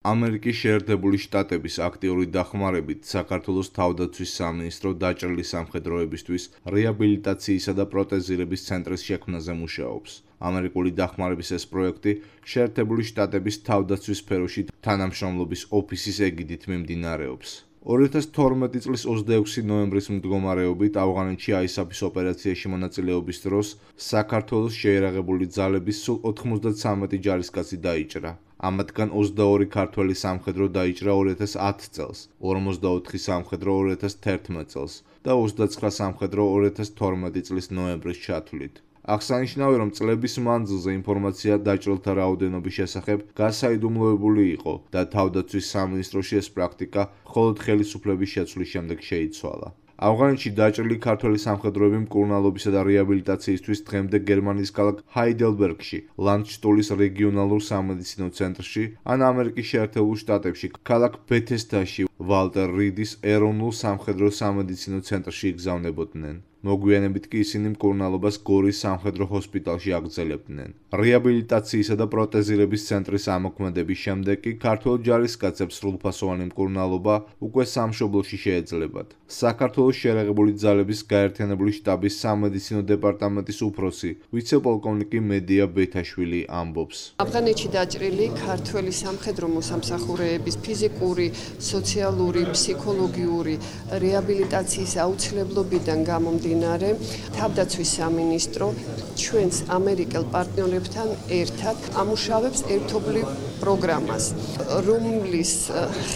ამერიკის შეერთებული შტატების აქტიური დახმარებით საქართველოს თავდაცვის სამინისტრო დაჭრილი სამხედროებისთვის რეაბილიტაციისა და პროტეზირების ცენტრის შექმნაზე მუშაობს. ამერიკული დახმარების ეს პროექტი შეერთებული შტატების თავდაცვის სფეროში თანამშრომლობის ოფისის ეგიდით მიმდინარეობს. 2012 წლის 26 ნოემბრის მდგომარეობით ავღანეთში ISAF-ის ოპერაციაში მონაწილეობის დროს საქართველოს შეიარაღებული ძალების სულ 93 ჯარისკაცი დაიჭრა. ამათგან 22 ქართველი სამხედრო დაიჭრა 2010 წელს, 54 სამხედრო 2011 წელს და 29 სამხედრო 2012 წლის ნოემბრის ჩათვლით. აღსანიშნავია, რომ წლების მანძილზე ინფორმაცია დაჭრილთა რაოდენობის შესახებ გასაიდუმლოებული იყო და თავდაცვის სამინისტროში ეს პრაქტიკა მხოლოდ ხელისუფლების შეცვლის შემდეგ შეიცვალა. ავღანეთში დაჭრილი ქართველი სამხედროები მკურნალობისა და რეაბილიტაციისთვის დღემდე გერმანიის ქალაქ ჰაიდელბერგში, ლანდშტულის რეგიონალურ სამედიცინო ცენტრში ან ამერიკის შეერთებულ შტატებში, ქალაქ ბეთესდაში, ვალტერ რიდის ეროვნულ სამხედრო სამედიცინო ცენტრში იგზავნებოდნენ. მოგვიანებით კი ისინი მკურნალობას გორის სამხედრო ჰოსპიტალში აგრძელებდნენ. რეაბილიტაციისა და პროტეზირების ცენტრის ამოქმედების შემდეგ კი ქართველ ჯარისკაცებს სრულფასოვანი მკურნალობა უკვე სამშობლოში შეეძლებათ. საქართველოს შეიარაღებული ძალების გაერთიანებული შტაბის სამედიცინო დეპარტამენტის უფროსი, ვიცე-პოლკოვნიკი მედია ბეთაშვილი ამბობს. ავღანეთში დაჭრილი ქართველი სამხედრო მოსამსახურეების ფიზიკური, სოციალური, ფსიქოლოგიური რეაბილიტაციის აუცილებლობიდან გამომდინარე, თავდაცვის სამინისტრო ჩვენს ამერიკელ პარტნიორებთან ერთად ამუშავებს ერთობლივ პროგრამას, რომლის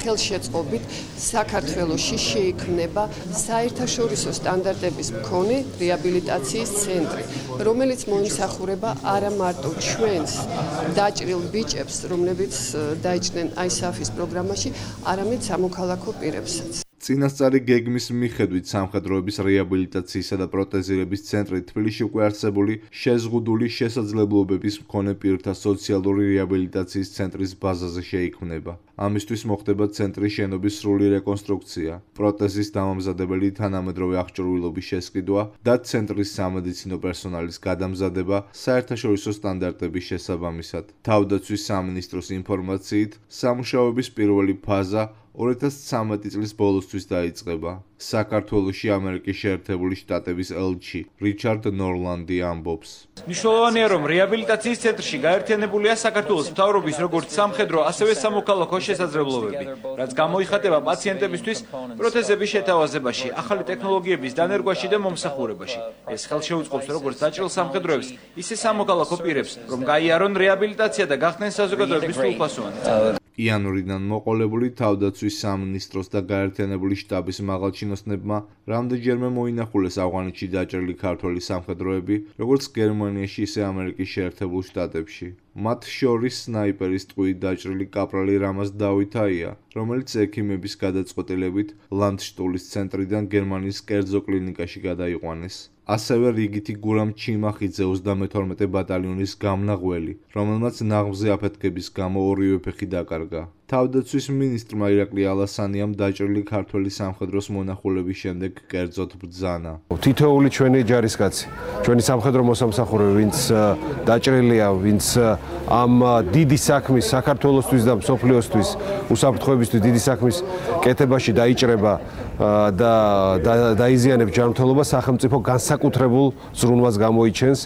ხელშეწყობით საქართველოში შეიქმნება საერთაშორისო სტანდარტების მქონე რეაბილიტაციის ცენტრი, რომელიც მოიმსახურება არა მარტო ჩვენს დაჭრილ ბიჭებს, რომლებიც დაიჭრნენ ISAF-ის პროგრამაში, არამედ სამოქალაქო პირებსაც. წინასწარი გეგმის მიხედვით სამხედროების რეაბილიტაციისა და პროტეზირების ცენტრი თბილისში უკვე არსებული შეზღუდული შესაძლებლობების მქონე პირთა სოციალური რეაბილიტაციის ცენტრის ბაზაზე შეიქმნება. ამისთვის მოხდება ცენტრის შენობის სრული რეკონსტრუქცია, პროტეზის დამამზადებელი თანამედროვე აღჭურვილობის შესყიდვა და ცენტრის სამედიცინო პერსონალის გადამზადება საერთაშორისო სტანდარტების შესაბამისად. თავდაცვის სამინისტროს ინფორმაციით, სამუშაოების პირველი ფაზა 2013 წლის ბოლოსთვის დაიწყება. საქართველოში ამერიკის შეერთებული შტატების ელჩი რიჩარდ ნორლანდი ამბობს. მნიშვნელოვანია, რომ რეაბილიტაციის ცენტრში გაერთიანებულია საქართველოს მთავრობის როგორც სამხედრო, ასევე სამოქალაქო შესაძლებლობები, რაც გამოიხატება პაციენტებისთვის პროთეზების შეთავაზებაში, ახალი ტექნოლოგიების დანერგვაში და მომსახურებაში. ეს ხელშეუწყობს როგორც დაჭრილ სამხედროებს, ისე სამოქალაქო პირებს, რომ გაიარონ რეაბილიტაცია და გახდნენ საზოგადოების სრულფასოვანი. იანვრიდან მოყოლებული თავდაცვის სამინისტროს და გაერთიანებული შტაბის მაღალჩინოსნებმა რამდენჯერმე მოინახულეს ავღანეთში დაჭრილი ქართველი სამხედროები, როგორც გერმანიაში, ისე ამერიკის შეერთებულ შტატებში. მათ შორის სნაიპერის ტყვიით დაჭრილი კაპრალი რამაზ დავითაია, რომელიც ექიმების გადაწყვეტილებით ლანდშტულის ცენტრიდან გერმანიის კერძო კლინიკაში გადაიყვანეს. ასევე რიგითი გურამ ჩიმახიძე 32 ბატალიონის გამნაღველი, რომელმაც ნაღმზე აფეთქების გამო ორივე ფეხი დაკარგა. თავდაცვის მინისტრმა ირაკლი ალასანიამ დაჭრილი ქართველი სამხედროს მონახულების შემდეგ კერძოდ ბრძანა. თითოეული ჩვენი ჯარისკაცი, ჩვენი სამხედრო მოსამსახურე, ვინც დაჭრილია, ვინც ამ დიდი საქმის საქართველოსთვის და მსოფლიოსთვის უსაფრთხოებისთვის დიდი საქმის კეთებაში დაიჭრება და დაიზიანებს ჯანმრთელობა, სახელმწიფო განსაკუთრებულ ზრუნვას გამოიჩენს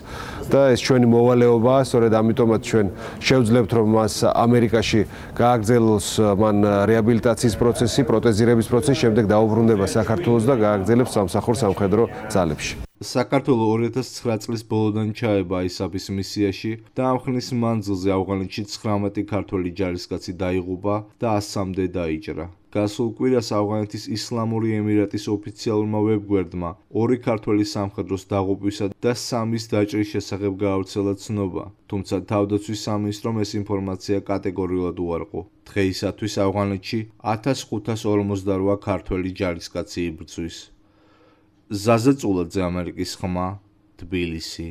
და ეს ჩვენი მოვალეობაა, სწორედ ამიტომაც ჩვენ შევძლებთ, რომ მას ამერიკაში გააგრძელოს მან რეაბილიტაციის პროცესი, პროტეზირების პროცესი, შემდეგ დაუბრუნდება საქართველოს და გააგრძელებს სამსახურ სამხედრო ძალებში. საქართველო 2009 წლის ბოლოდან ჩაება ISAF-ის მისიაში და ამ ხნის მანძილზე ავღანეთში 19 ქართველი ჯარისკაცი დაიღუპა და 100-მდე დაიჭრა. გასულ კვირას ავღანეთის ისლამური ემირატის ოფიციალურმა ვებგვერდმა 2 ქართველი სამხედროს დაღუპვისა და 3-ის დაჭრის შესახებ გაავრცელა ცნობა, თუმცა თავდაცვის სამინისტრომ ეს ინფორმაცია კატეგორიულად უარყო. დღეისათვის ავღანეთში 1548 ქართველი ჯარისკაცი იბრძვის. ზაზა წულაძე, ამერიკის ხმა, თბილისი.